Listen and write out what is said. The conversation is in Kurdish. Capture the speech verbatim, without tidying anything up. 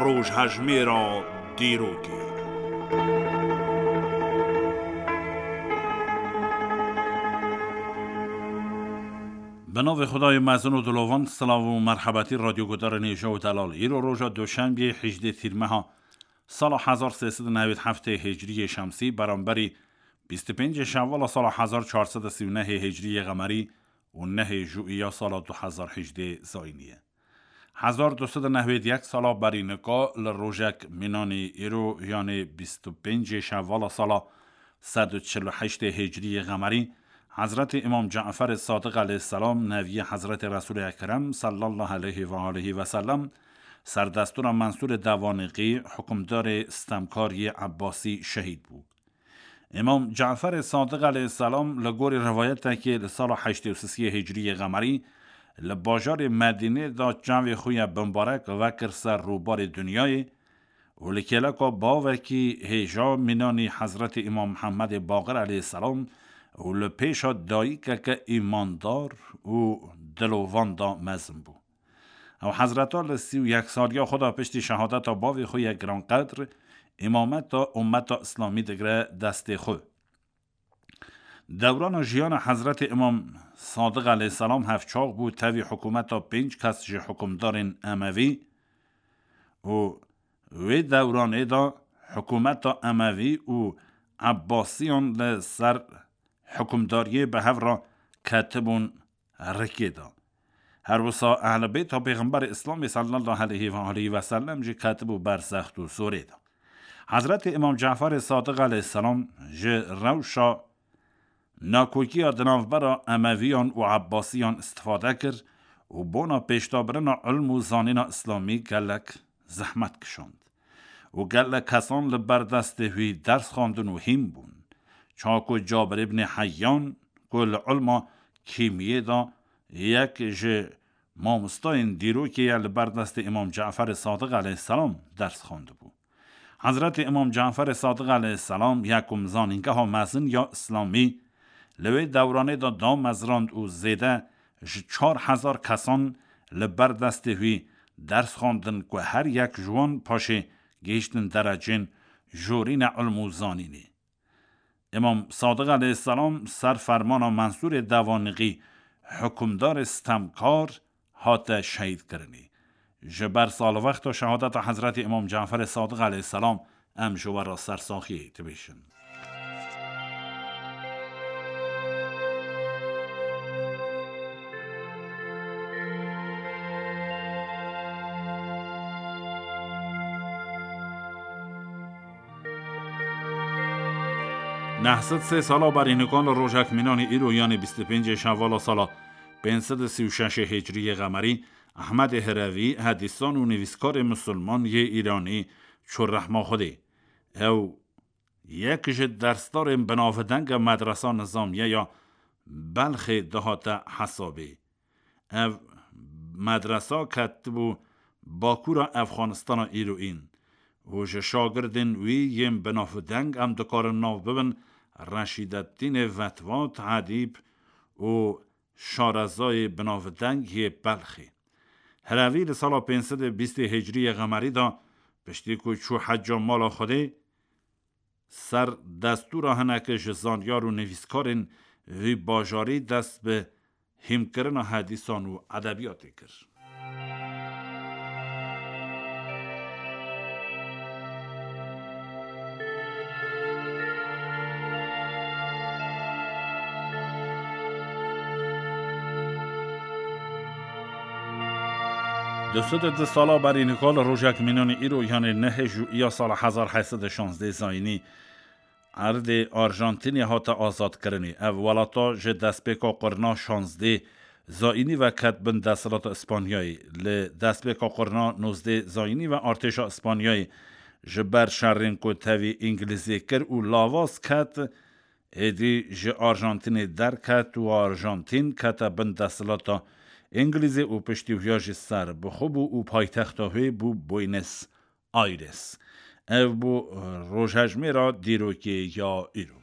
Rojhejmêra dîrokê. Bi navê Xwedayê mezin û dilovan, silav û merhebetî radyoguhdarên hêja û delal. Îro roja Duşenbeyê hejdê Tîrmeha sala hezar sê sed û newêd heftê Hicriyê Şemsî, beramberî bîst û pêncê Şewvala sala hezar çar sed û sî û nehê Hicriyê Qemerî û nehê Jûiya sala du hezar hejdê Zayînî ye. Hezar du sed û newêd yek sala berî nika li rojek mînanî îro, yanê bîst û pêncê Şewvala sala sed û çil û heştê Hicriyê Qemerî, Hezretî Îmam Caferê Sadiq aleyhisselam, neviyê Hezretî Resûlê Ekrem sallallahu aleyhi ve aleyhi ve sellem, serdestûra Mensûrê Devanîqî, hukimdarê stemkar yê Ebbasî şehîd bû. Îmam Caferê Sadiq aleyhisselam li gorî rivayetekê li sala heştê û sisiyê Hicriyê Qemerî li bajarê Medînê de çavê xwe ye bimbarek vekir ser rûbarê dinyayê û li kêleka bavekî hêja mînanî Hezretî Îmam Mihemedê Baqir aleyhisselam û li pêşa dayikeke îmandar û dilovan de mezin bû. Ew hezreta li sî û yek saliya xwe de piştî şehadeta bavê xwe yê giranqedr, îmameta ummeta Îslamî digire destê xwe. Dewrana jiyana Hezretê Îmam Sadiq aleyhisselam hevçax bû tevî hikûmeta pênc kes ji hikûmdarên Emevî û wê dewranê de hikûmeta Emevî û Ebbasiyan li ser hikûmdariyê bi hev re ketibûn rikê de. Her wisa Ehlê Beyta Pêxemberê Îslamê sallallahu aleyhi ve aleyhi ve sellem jî ketibû ber zext û zorê de. Hezretê Îmam Caferê Sadiq aleyhisselam ji rewşa nakokiya di navbera Emeviyan û Ebbasiyan istifade kir û bona pêşdabirina ilm û zanîna Îslamî gelek zehmet kişand û gelek kesan li ber destê wî ders xwendin û hîn bûn. Çaku Cabir îbnê Heyyan ku li ilma kîmiyê de yek ji mamostayên dîrokê ye, li ber destê Îmam Caferê Sadiq aleyhisselam ders xwendibû. Hezretê Îmam Caferê Sadiq aleyhisselam yekum zanîngeha mezin ya Îslamî li wê dewranê de damezrand û zêde ji çar hezar kesan li ber destê wî ders xwendin ku her yek ji wan paşê gihîştin derecên jorîne ilm û zanînê. Îmam Sadiq aleyhisselam ser fermana Mensûrê Devanîqî, hikûmdarê stemkar, hate şehîdkirinê. Ji ber salwexta şehadeta Hezretî Îmam Caferê Sadiq aleyhisselam em ji we re sersaxiyê dibêjin. Neh sed sê sala berî nikan li rojek mînanî îro, yanê bîst û pêncê Şewvala sala pênc sed û sî û şeş Hicriyê Qemerî, Ehmedê Hirevî, hedîsan û nivîskarê misilman yê Îranî çû rehma Xwedê. Ew yek ji dersdarên binavdeng a medresa nizamiye ya Belxê dihate hesabê. Ev medresa ketibû bakûra Efxanistana îroîn û ji şagirdên wî yên binavdeng em dikarin nav bibin Reşîdettînê Vetvat, Edîb û şarezayê binavdeng yê Belxê. Hirevî li sala pênc sed û bîstê Hicriyê Qemerî de, piştî ku çû hecca mala Xwedê, ser destûra hinekî ji zanyar û nivîskarên vî bajarî dest bi hîmkirina hedîsan û edebiyatê kir. Du sed û du sala berî nika li rojek mînanî îro, yanê nehê Jûiya sala hezar heyt sed û şazdeh zayînî, erdê Arjantînê hate azadkirinê. Ev welata ji destpêka qurna şazdeh zayînî ve ket bin desthilata Îspanyayê. Li destpêka qurna nozdeh zayînî ve artêşa Îspanyayê ji ber şerên ku tevî Îngilîzê kir û lawaz ket, êdî ji Arjantînê derket û Arjantîn kete bin desthilata Îngilîzê û piştî wiya jî serbixwe bû û paytexta wê bû Buenos Aires. Ev bû rojhejmêra dîrokê ya îro.